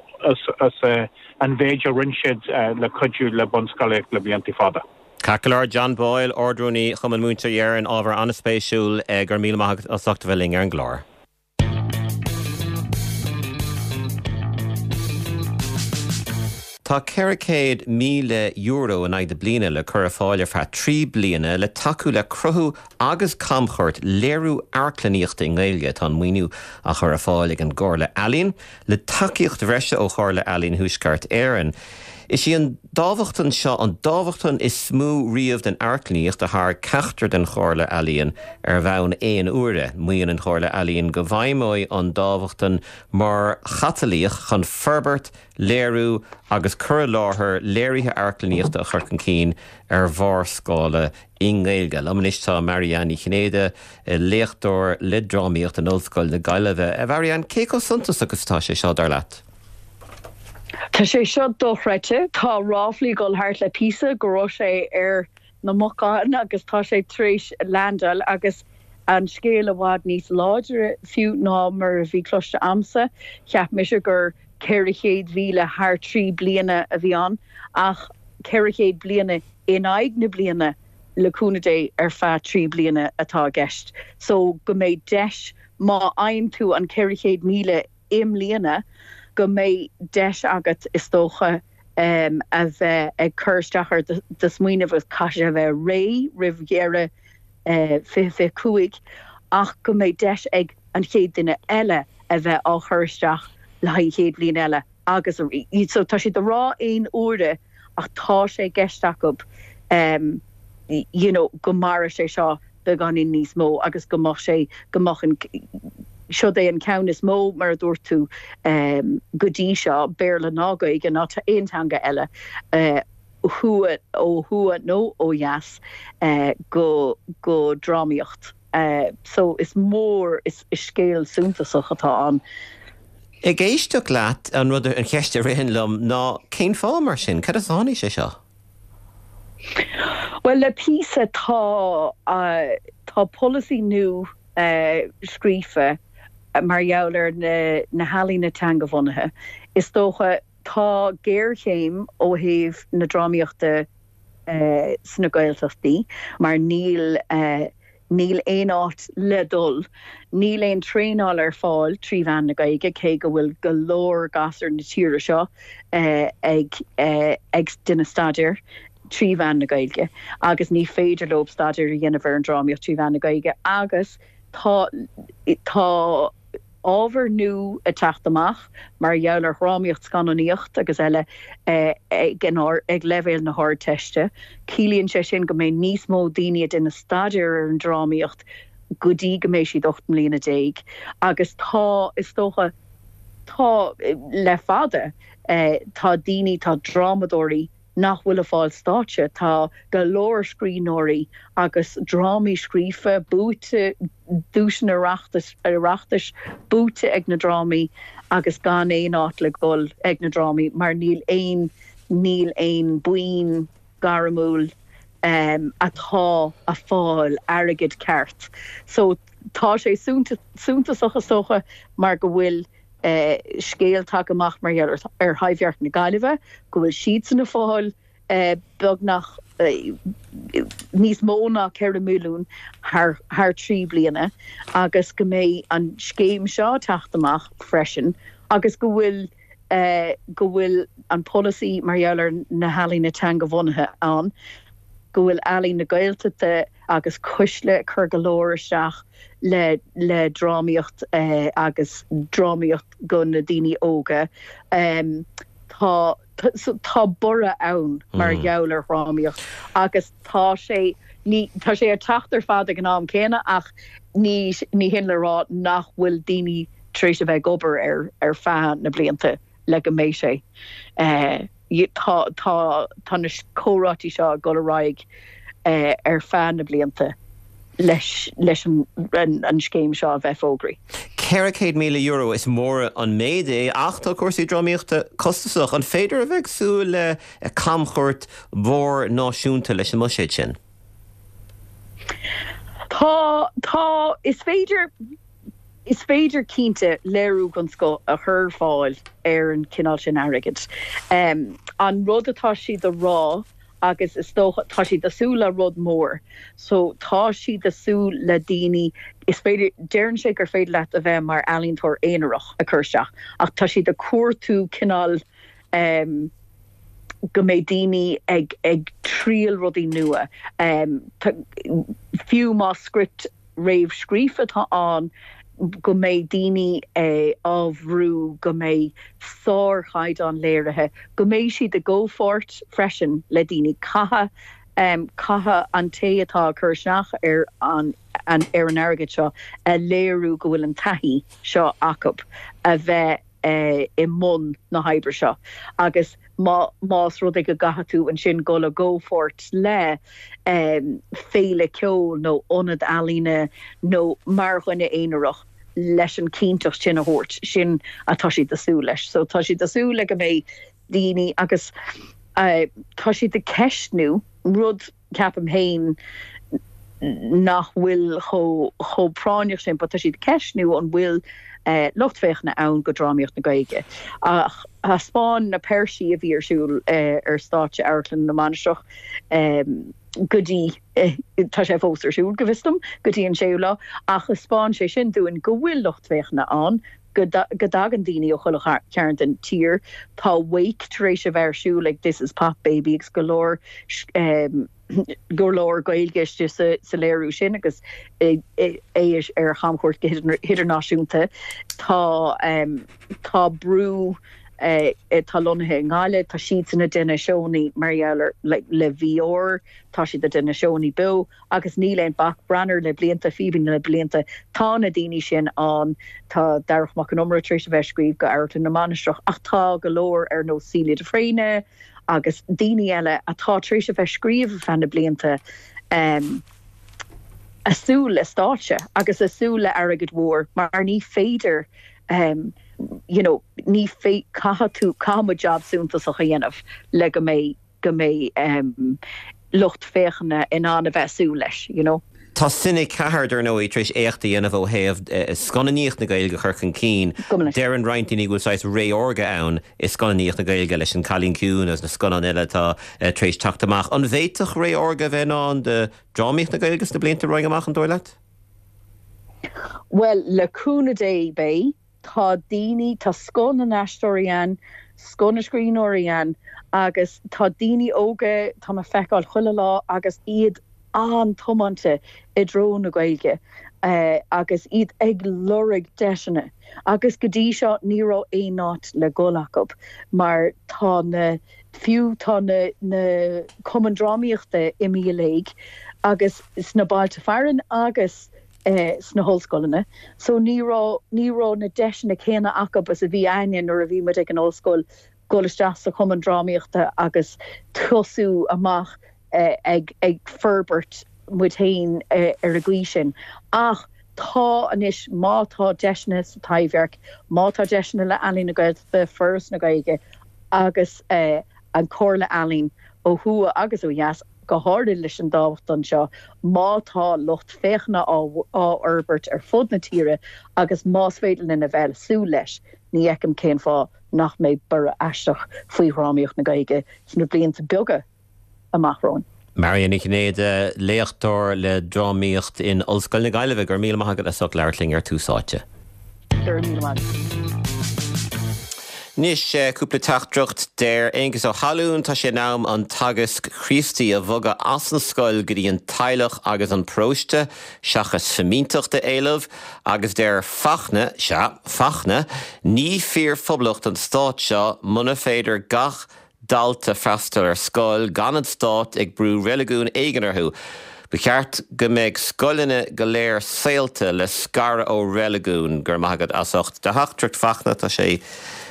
an mhéid a rinne siad le cuidiú le bunscolaíocht le blianta fada. Ceart go leor, John Boyle, Ard-Rúnaí Chumann Múinteoirí Éireann, ábhar an-spéisiúil. Go raibh míle maith agat as ucht a bheith linn ar an gclár. Tá €400,000 in aghaidh na bliana le cur ar fáil ar feadh 3 bliana le tacú le cruthú agus camchuairt léiriú amharclannaíochta i nGaeilge. Tá an maoiniú á chur ar fáil ag an gComhairle Ealaíon, le tacaíocht bhreise ó Chomhairle Ealaíon Thuaisceart Éireann. Is í an dámhachtain seo an dámhachtain is mó riamh don amharclannaíocht a thairg ceachtar den Chomhairle Ealaíon ar bhonn aon uaire. Maíonn an Chomhairle Ealaíon go bhfeidhmeoidh an dámhachtain mar chatalaíoch chun forbairt, léiriú agus cur i láthair léirithe amharclannaíochta a chur chun cinn ar mhórscála i nGaeilge. Liom anois tá Marianne Ní Chinnéide, léachtóir le drámaíocht in Ollscoil na Gaillimhe. A Mharianne, cé chomh suntasach is atá sé seo, dar leat? Tá sé seo dochreidte. Tá ráflaí ag dul thart le píosa go raibh sé ar na bacáin agus tá sé tar éis landáil agus an scéal i bhfad níos láidre fiú ná mar a bhí cloiste a'msa. Cheap mise gur 400,000 thar 3 bliana a bhí ann ach 400 bliana in aghaidh na bliana le cúnamh Dé ar feadh 3 bliana atá i gceist so go mbeidh deis má fhaigheann tú an 400,000 i mbliana go mbeidh deis agat is dócha a bheith ag cur isteach ar do smaoineamh agus caithfidh sé a bheith réidh roimh dheireadh 2025 ach go mbeidh deis ag an chéad duine eile a bheith á chur isteach le haghaidh an chéad bhliain eile agus so tá siad ag rá aon uaire ach tá sé i gceist acu you know go mairfeadh sé seo beagáinín níos mó agus go mbeadh sé go mbeadh an siod é an ceann is mó mar a dúirt tú go dtí seo, Béarla ná Gaeilge ná aon teanga eile thuaidh ó thuaidh nó ó dheas go go drámaíocht. So is mór is scéal suntasach atá ann. Ag éisteacht leat, an rud, an cheist a ritheann liom ná cén fáth mar sin? Cad as a tháinig sé seo? Bhuel, le píosa tá, tá polasaí nua scríofa mar gheall ar na healaíona teangabhunaithe. Is dócha, tá géarchéim ó thaobh na drámaíochta sna Gaeltachtaí mar níl, níl aon áit le dul. Níl aon traenáil ar fáil trí mheán na Gaeilge, cé go bhfuil go leor gasúir na tíre seo ag ag déanamh staidéir trí mheán na Gaeilge agus ní féidir leo staidéar a dhéanamh ar an drámaíocht trí mheán na Gaeilge agus tá tá ábhar nua ag teacht amach mar gheall ar dhrámaíocht, scannánaíocht agus eile ag ag leibhéal na hArdteiste. Ciallaíonn sé sin go mbeidh níos mó daoine ag déanamh staidéar ar an drámaíocht go dtí go mbeidh siad 18 mbliana agus tá, is dócha, tá le fada, tá daoine, tá drámadóirí, nach bhfuil ag fáil stáitse. Tá go leor scríbhneoirí agus drámaí scríofa, buaite, duaiseanna Oireachtais buaite ag na drámaí agus gan aon áit le dhul ag na drámaí mar níl aon, níl aon buíon gairmiúil atá ag fáil airgead ceart. So tá sé suntasach is dócha mar go bhfuil scéal tagtha amach mar gheall ar Thaibhdhearc na Gaillimhe, go bhfuil siadsan ag fáil beagnach níos mó ná 4 milliún thar thrí bliana agus go mbeidh an scéim seo ag teacht amach freisin agus go bhfuil go bhfuil an polasaí mar gheall ar na healaíona teangabhunaithe ann, go bhfuil Ealaín na Gaeltachta agus Cuisle ag cur go leor isteach le le drámaíocht agus drámaíocht go na daoine óga. Tá tá borradh ann mar gheall ar dhrámaíocht agus tá sé ní tá sé ag teacht ar fad ag an am céanna ach ní ní hin le rá nach bhfuil daoine tar éis a bheith ag obair air ar feadh na blianta le go mbeidh sé Tá tá tá na comhráití seo ag dul ar aghaidh ar feadh na blianta leis leis an an scéim seo a bheith fógraithe. €400,000, is mór an méid é ach tá cúrsaí drámaíochta costasach. An féidir a bheith ag súil le camchuairt mhór náisiúnta leis an mbuiséad sin? Tá, tá, is féidir. Is féidir, cinnte, léiriú den scoth a chur ar fáil ar an chineál sin airgid. An rud atá siad a rá, agus is dócha, tá siad ag súil le rud mór. So, tá siad ag súil le daoine, is féidir, deireann sé gur féidir leat a bheith mar ealaíontóir aonarach ag cur isteach, ach tá siad ag cuartú cineál go mbeidh daoine ag ag triail rudaí nua. Fiú más script réamhscríofa atá ann, go mbeidh daoine á bhrú, go mbeidh sárchaighdeán léirithe, go mbeidh siad i gcomhpháirt freisin le daoine. Caithfidh, caithfidh an té atá ag cur isteach ar an ar an airgead seo a léiriú go bhfuil an taithí seo acu a bheith i mbun na hoibre seo agus má, más rud é go gcaithfidh tú ansin dul i gcomhpháirt le féile ceoil nó ionad ealaíne nó mar dhuine aonarach leis an chinnteacht sin a thabhairt, sin atá siad ag súil leis. So tá siad ag súil le go mbeidh daoine agus tá siad ag ceistniú rud ceapaim féin nach bhfuil chomh práinneach sin, but tá siad ag ceistniú an bhfuil lucht féachana ann go drámaíocht na Gaeilge. Ach thaispeáin na péirsí a bhí ar siúl ar stáitse Amharclann na Mainistreach go dtí, tá sé fós ar siúl go bhfios dom, go dtí an séú lá, ach thaispeáin sé sin dúinn go bhfuil lucht féachana ann, go dtagann daoine ó chuile chearn den tír. Tá Wake tar éis a bheith ar siúl ag This Is Pop Baby agus go leor go leor Gaeilge istigh sa léiriú sin agus é ar chamchuairt go hidirnáisiúnta. Tá tá Brú atá lonnaithe i nGaillimh, tá siadsan ag déanamh seónna mar gheall ar le VR, tá siad ag déanamh seónna beo. Agus níl aon bac, Branar le blianta, Fíbín le blianta, tá na daoine sin ann, tá Darach Mac Con Iomaire tar éis a bheith ag scríobh go Amharclann na Mainistreach ach tá go leor ar nós Celia de Fréine agus daoine eile atá tar éis a bheith ag scríobh ar feadh na blianta ag súil le stáitse agus ag súil le airgead mhór mar ní féidir. you know ní fé caithfidh tú caithfidh muid jab suntasach a dhéanamh le go mbeidh go mbeidh lucht féachana in ann a bheith ag súil leis, you know. Tá Cine 4, dar ndóigh, tar éis éacht a dhéanamh ó thaobh scannánaíocht na Gaeilge a chur chun cinn. Deireann roinnt daoine go bhfuil saghas ré órga ann i scannánaíocht na Gaeilge leis An Cailín Ciúin agus na scannáin eile atá tar éis teacht amach. An bhféadfadh ré órga a bheith i ndán do dhrámaíocht na Gaeilge sna blianta romhainn amach, an dóigh leat? Bhuel, le cúnamh Dé, beidh. Tá daoine, tá scoth na n-aisteoirí ann, scoth na scríbhneoirí ann agus tá daoine óga, tá mé ag feiceáil chuile lá agus iad an-tiomáinte i dtreo na Gaeilge agus iad ag lorg deiseanna agus go dtí seo ní raibh aon áit le dhul acu mar tá na, fiú tá na, na cumainn drámaíochta imithe i léig agus sna bailte fearainn agus sna hollscoileanna so ní raibh, ní raibh na deiseanna céanna acu is a bhí a'inne nuair a bhí muid ag an ollscoil dul isteach sa chumann drámaíochta agus tosú amach ag, ag forbairt muid féin ar an gcaoi sin. Ach tá anois, má tá deiseanna sa Taibhdhearc, má tá deiseanna le Ealaín na Gaeltachta, Foras na Gaeilge agus an Chomhairle Ealaíon ó thuaidh agus ó dheas, go háirithe leis an dámhachtain seo, má tá lucht féachana á fhorbairt ar fud na tíre agus más féidir linn a bheith ag súil leis, ní fheicim cén fáth nach mbeidh borradh aisteach faoi dhrámaíocht na Gaeilge sna blianta beaga amach romhainn. Marion Ní Chinnéide, léachtóir le drámaíocht in Ollscoil na Gaillimhe, go raibh míle maith agat as ucht labhairt linn ar Tús Áite. Go raibh míle maith agat. Anois, cúpla teachtaireacht. Deir Aengus Ó hAlúin, tá sé in am an teagasc Chríostaí a bhogadh as an scoil go dtí an teaghlach agus an paróiste, seachas fimínteacht a éileamh. Agus deir Fachtna, sea, Fachtna, ní fíor-phoblacht an stát seo muna féidir gach dalta freastal ar scoil gan an stát ag brú reiligiún éigin orthu. Ba cheart go mbeadh scoileanna go léir saolta le scaradh ó reiligiún. Go raibh maith agat as ucht do theachtaireacht Fachtna, tá sé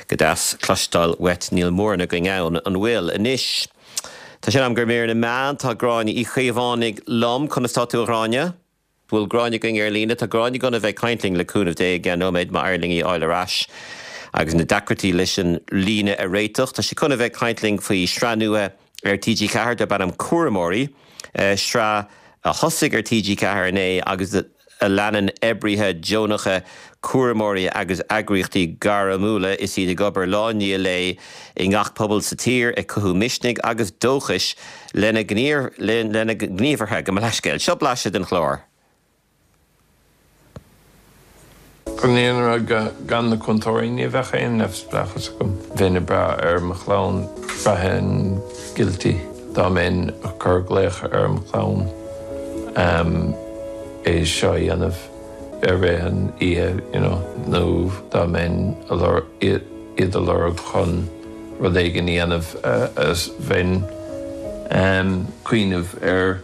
go deas cloisteáil uait, níl mórán againn ann, an bhfuil? Anois, tá sé in am do mhír na meán, tá Gráinne Uí Chaomhánaigh liom, conas tá tú a Ghráinne? Bhfuil Gráinne againn ar líne? Tá Gráinne chun a bheith ag caint linn le cúnamh Dé i gceann nóiméad, má éiríonn linn í a fháil ar ais agus na deacrachtaí leis an líne a réiteach. Tá sí chun a bheith ag caint linn faoi shraith nua ar TG4 darb ainm Cúramóirí, sraith a thosaigh ar TG4 inné agus a leanann oibrithe deonacha, cúramóirí agus eagraíochtaí gairmiúla is iad ag obair lá i ndiaidh lae i ngach pobal sa tír ag cothú misnigh agus dóchais lena ngníomhartha. Gabh mo leithscéal. Seo blaiseadh den chlár. Chun an fhírinne a rá, gan na cúntóirí ní bheadh aon neamhspleáchas agam. Bheinn ag brath ar mo chlann, bhraithfinn guilty dá mbeinn ag cur glaoch ar mo chlann é seo a dhéanamh i rith an oíche you know nó dá mbeinn iad a lorg chun rud éigin a dhéanamh bheinn cuimhneamh ar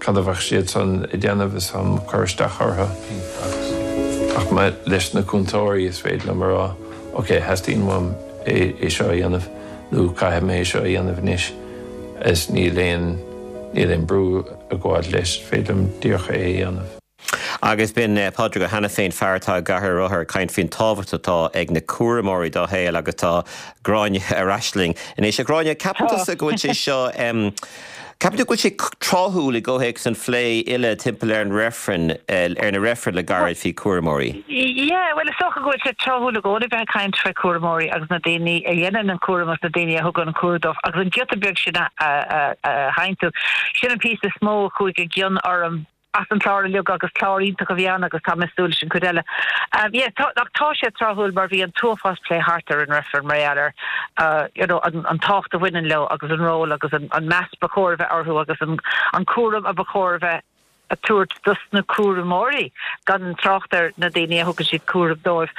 cad a bheadh siadsan ag déanamh is táim ag cur isteach orthu. Ach leis na cúntóirí is féidir liom a rá ok theastaíonn uaim é seo a dhéanamh nó caithfidh mé é seo a dhéanamh anois is níl aon níl aon brú ag gabháil leis, is féidir liom díreach é a dhéanamh. Agus b'in Pádraig Ó hAiniféin, fear atá i gcathaoir rothar, ag caint faoin tábhacht atá ag na cúramóirí dá shaol agus tá Gráinne ar ais linn anois. A Ghráinne, ceapann tusa go bhfuil sé seo, ceapann tú go bhfuil sé tráthúil i gcomhthéacs an phlé uile timpeall ar an reifreann, ar na reifrinn le gairid faoi chúramóirí? Yeah, bhuel is dócha go bhfuil sé tráthúil i gcónaí bheith ag caint faoi chúramóirí agus na daoine a dhéanann an cúram agus na daoine a thugann an cúram dóibh agus an giota beag sin a sheinn tú, sin an píosa is mó a chuaigh i gcion orm. as an chlár uilig agus clár iontach a bhí ann agus tá mé ag súil leis an chuid eile. Yeah, tá, ach tá sé tráthúil mar bhí an t-uafás plé thart ar an reifreann mar gheall ar you know, an, an tábhacht a bhaineann leo agus an ról agus an, an meas ba chóir a bheith orthu agus an, an cúram a ba chóir a bheith a tabhairt dos na cúramóirí, gan trácht ar na daoine a thugann siad cúram dóibh.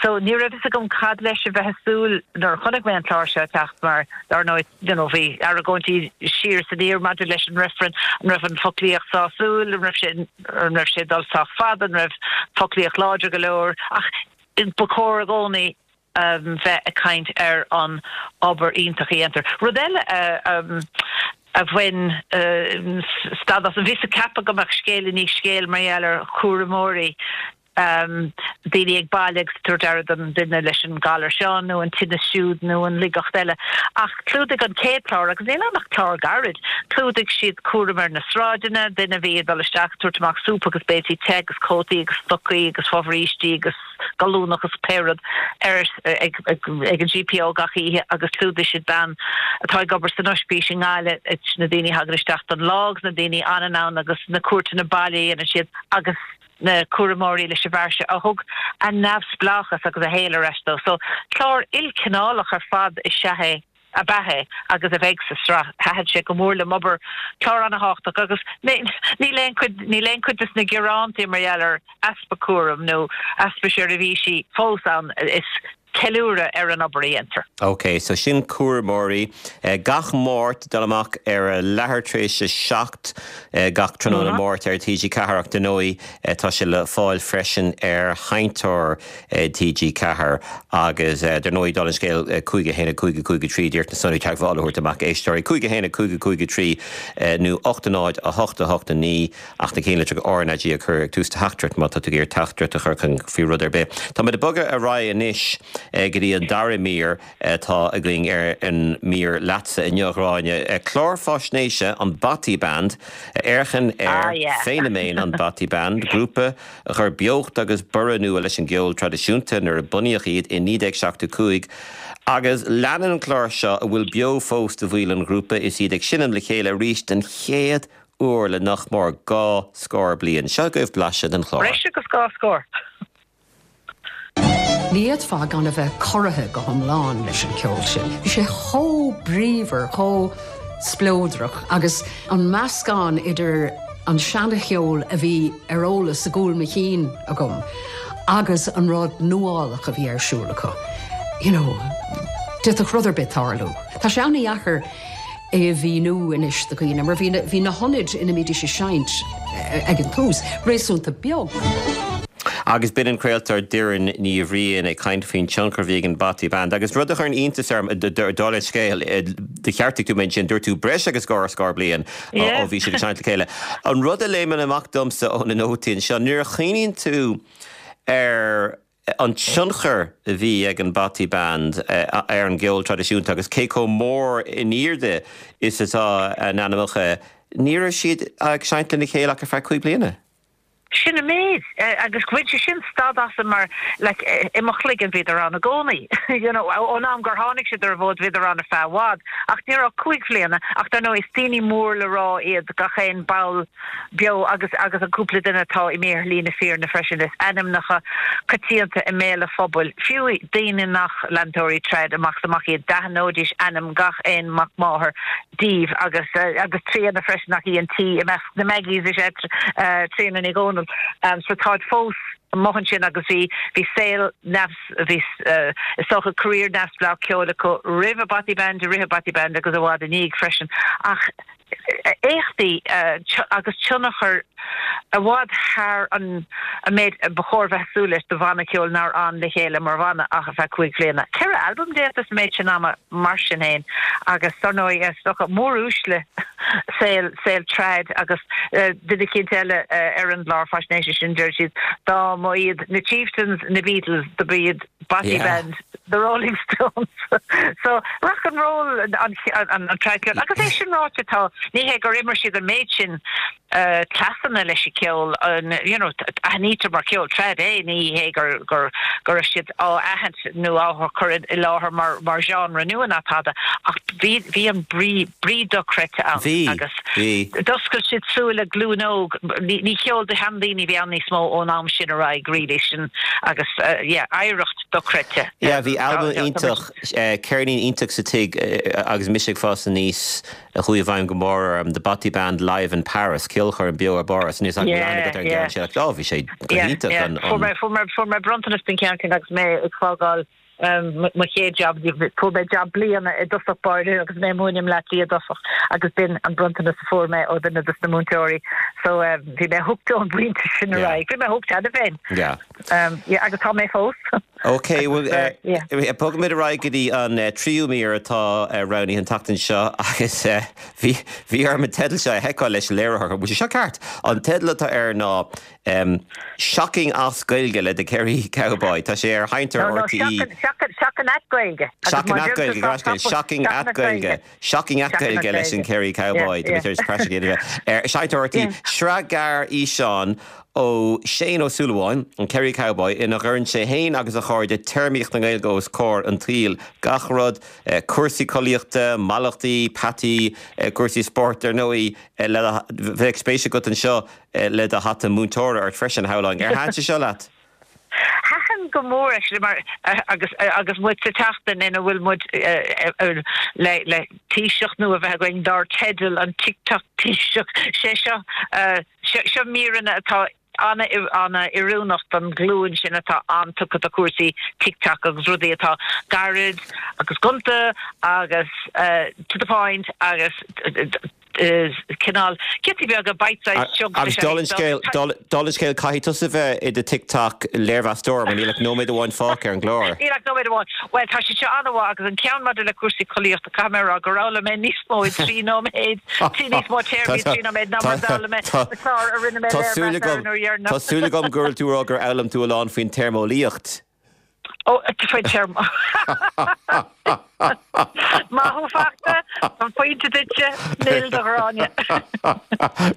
So ní raibh fhios agam cad leis a bheith ag súil nuair a chonaic mé an clár seo ag teacht mar dar ndóigh you know, bhí argóintí siar is aniar maidir leis an reifreann, an raibh an foclaíocht sásúil, an raibh sé, an raibh sé ag dul sách fada, an raibh foclaíocht láidir go leor, ach ba chóir i gcónaí bheith ag caint ar an obair iontach a dhéantar. Rud eile a a bhain stad asam, bhíos ag ceapadh go mbeadh scéal i ndiaidh scéil mar gheall ar chúramóirí. Daoine ag baile agus ag tabhairt aire don duine leis an galar seo nó an tinneas siúd nó an laigeacht eile. Ach chlúdaigh an chéad chlár, agus níl ann ach clár gairid, chlúdaigh siad cúram ar na sráideanna, duine a bhí ag dul isteach ag tabhairt amach súp agus béiltí te agus cótaí agus stocaí agus fobhrístí agus gallúnach agus pé rud ar ag an GPO gach oíche agus chlúdaigh siad bean atá ag obair san oispís i nGaillimh, na daoine a thagann isteach don lá agus na daoine a fhanann ann agus na cuairteanna baile a dhéanann siad agus na cúramóirí leis an bhfear seo a thug a neamhspleáchas agus a shaol ar ais dó. So, clár ilchineálach ar fad is ea é, ab ea é agus a bheidh sa sraith. Thaitin sé go mór liom obair, clár ana-thábhachtach agus níl aon chuid, níl aon chuid des na gearántaí mar gheall ar easpa cúraim nó easpa seirbhísí fós ann. Is ceiliúradh ar an obair a dhéantar. Ok, so sin Cúramóirí. Gach Máirt, dul amach ar a leathuair tar éis a 7 gach tráthnóna Máirt ar TG4 ach dar ndóigh tá sé le fáil freisin ar sheinnteoir TG4 agus dar ndóigh dála an scéil 5 1 5 5 3 d'iarraidh na sonraí teagmhála a thabhairt amach éisteoirí 5 1 5 5 3 nó 8 0 8 8 9 Ach na ceannlitreacha RnaG a chur ag tús do theachtaireacht má tá tú ag iarraidh teachtaireacht a chur chugainn faoi rud ar bith. Táimid ag bogadh ar aghaidh anois go dtí an dara mír atá againn ar an mír leatsa inniu, a Ghráinne. Clár faisnéise an Bothy Band a fhéachann ar feiniméan an Bothy Band, grúpa a chuir beocht agus borradh nua leis an gceol traidisiúnta nuair a bunaíodh iad i 1975. Agus leanann an clár seo a bhfuil beo fós de bhaill an ghrúpa is iad ag seinm le chéile arís den chéad uair le nach mór 2 scór bliain. Seo agaibh blaiseadh den chlár. Breis agus 2 scór. Ní fhéadfá gan a bheith corraithe go hiomlán leis an cheol sin. Bhí sé chomh bríomhar, chomh spleodrach agus an meascán idir an seana-cheol a bhí ar eolas i gcúl mo chinn agam agus an rud nuálach a bhí ar siúl acu. You know, d'fhéadfadh rud ar bith tarlú. Tá sé an-dheacair é a mhíniú anois do dhaoine, mar bhí bhí na hionaid ina mbídís ag seinnt ag an tús réasúnta beag. Agus b'in an craoltóir Doireann Ní Bhriain ag caint faoin tionchar a bhí ag an Bothy Band. Agus rud a chuireann iontas orm, dála an scéil, do cheartaigh tú mé ansin, dúirt tú breis agus 2 scór bliain ó bhí siad ag seinnt le chéile. An rud a léimeann amach domsa ó na nótaí anseo, nuair a chuimhníonn tú ar an tionchar a bhí ag an Bothy Band ar an gceol traidisiúnta agus cé chomh mór in airde is atá a n-ainmneacha, ní raibh siad ag seinnt lena chéile ach ar feadh 5 bliana. Sin an méid. Agus bhain sé sin stad asam mar like i mo chloigeann bhíodar ann i gcónaí. You know, ón am gur tháinig siad ar an bhfód bhíodar ann ar feadh i bhfad. Ach ní raibh 5 bhliana. Ach dar ndóigh is daoine mór le rá iad gach aon ball beo agus agus an cúpla duine atá imithe ar shlí na fírinne freisin. Is ainmneacha coitianta i mbéal an phobail, fiú daoine nach leantóirí trad amach is amach iad, d'aithneoidís ainm gach aon mac máthar díobh agus agus Tríona freisin ach í an T i measc na Maggies is ea Tríona Ní Dhomhnaill. So táid fós amuigh ansin agus bhí bhí saol neamh bhí is dócha career neamhspleách ceoil acu roimh an Bothy Band, i rith an Bothy Band agus i bhfad i ndiaidh freisin ach éachtaí agus tionchar i bhfad thar an méid ba chóir bheith ag súil leis do bhanna ceoil nár fhan le chéile mar bhanna ach ar feadh 5 bhliana. 4 albam déanta sa méid sin ama mar sin féin agus dar ndóigh is dócha móruaisle saol saol trad agus duine eicínt eile ar an gclár faisnéise sin deir siad dá mba iad na Chieftains na Beatles do ba iad Bothy Band, The Rolling Stones. So, rock and roll an trad ceol. Agus é sin ráite tá, ní hé gur imir siad an méid sin cleasanna leis an cheol, you know, aithnítear mar cheol trad é, ní hé gur go raibh siad á aithint nó á chur i láthair mar mar genre nua ná tada, ach bhí bhí an brí brí dochreidte ann agus d'oscail siad súile glúin óg, ní cheol do sheandaoine a bhí ann níos mó ón am sin ar aghaidh really, sin agus yeah, oidhreacht dochreidte. Yeah, bhí albam iontach, ceirnín iontach sa tigh agus mise ag fás aníos a chuaigh i bhfeidhm go mór orm, The Bothy Band Live in Paris, ceolchoirm beo i bPáras, níl a fhios agam an bhfuil aithne agat ar an gceann sin ach oh, bhí sé go hiontach an. Fuair mé bronntanas den cheann sin agus mé ag fágáil mo chéad jab, fuair mé jab bliana i dtosach báire agus mé ag múineadh i mBleá Cliath i dtosach agus b'in an bronntanas a fuair mé ó duine dos na múinteoirí. So bhí mé hooked ón bpointe sin ar aghaidh. Bhí mé hooked cheana féin. Yeah. Yeah, agus tá mé fós. Ok, bhuel, bogfaimid ar aghaidh go dtí an tríú mír atá roghnaithe an tseachtain seo agus bhí bhí orm an teideal seo a sheiceáil leis an léiritheoir. Bhfuil sé seo ceart? An teideal atá air ná Shocking as Gaeilge le The Kerry Cowboy. Tá sé ar sheinnteoir RTÉ. No, no, Shocking at Gaeilge. Shocking at Gaeilge, Shocking at Gaeilge. Shocking at Gaeilge leis an Kerry Cowboy, tá mé tar éis praiseach a dhéanamh ar seinnteoir RTÉ. Sraith gearr fhíseán ó Shane Ó Súilleabháin, an Kerry Cowboy, ina gcuireann sé féin agus a chairde téarmaíocht na Gaeilge os comhair an tsaoil. Gach rud, cúrsaí collaíochta, mallachtaí, peataí, cúrsaí spóirt, ar ndóigh, le bheadh spéis agat anseo le do hata múinteora ort freisin, shamhlóinn. Ar thaitin sé seo leat? Thaitin go mór actually mar agus agus muid sa tseachtain ina bhfuil muid le le Taoiseach nua a bheith againn dár teideal an TikTok Taoiseach sé seo seo míreanna atá an-oiriúnach don ghlúin sin atá an-tugtha do chúrsaí TikTok agus rudaí atá gairid agus gonta agus to the point agus cineál giotaí beaga bite-sized chunks Agus dála an scéil, dála an scéil, caithfidh tusa bheith i do TikTok léirmheastóir mar níl ach nóiméad amháin fágtha ar an gclár. Níl ach nóiméad amháin. Bhuel, tá sé seo an-mhaith agus an ceann maidir le cúrsaí collaíochta, caithfidh mé a rá gur fhoghlaim mé níos mó i dtrí nóiméad, trí níos mó téarmaí i dtrí nóiméad ná mar a d'fhoghlaim mé sa chlár a rinne mé léirmheas air an uair dheireanach. Tá súil agam go bhfuil tú ag rá gur fhoghlaim tú a lán faoin téarmeolaíocht. Ó, faoin téarma. Maith thú fachta, an pointe duitse, nil do Ghráinne.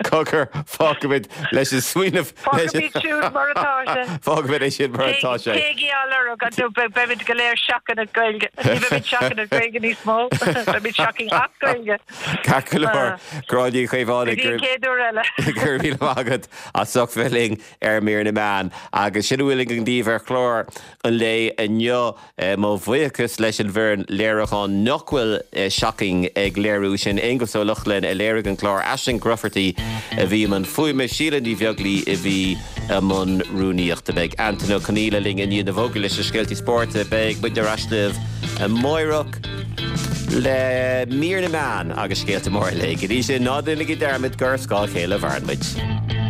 Cogar, fágfaimid leis an smaoineamh. Fágfaimid siúd mar atá sé. Fágfaimid é sin mar atá sé. Téigí á lorg, nó beimid go léir shocking at Gaeilge. Ní bheimid shocking at Gaeilge níos mó, beimid shocking as Gaeilge. Ceart go leor, Gráinne Ní Chaomhánaigh. Go dtí an chéad uair eile. Go raibh míle maith agat as ucht bheith linn. ar Mír na Meán. Agus sin a bhfuil againn daoibh ar chlár an lae inniu. Mo bhuíochas leis an bhfoireann léiriúcháin nach bhfuil shocking ag léiriú sin, Aonghus Ó Lochlainn a léirigh an clár, Aisling Grufferty a bhí i mbun fuaime, Síle Ní Bheaglaoi a bhí i mbun rúnaíochta. Beidh Antain Ó Conghaile linn i ndiaidh na bhfógraí leis na scéaltaí spóirt. Beidh muid ar ais libh amáireach le Mír na Meán agus scéalta móra an lae. Go dtí sin, ná déanaigí dearmad gur ar scáth a chéile a mhaireann muid.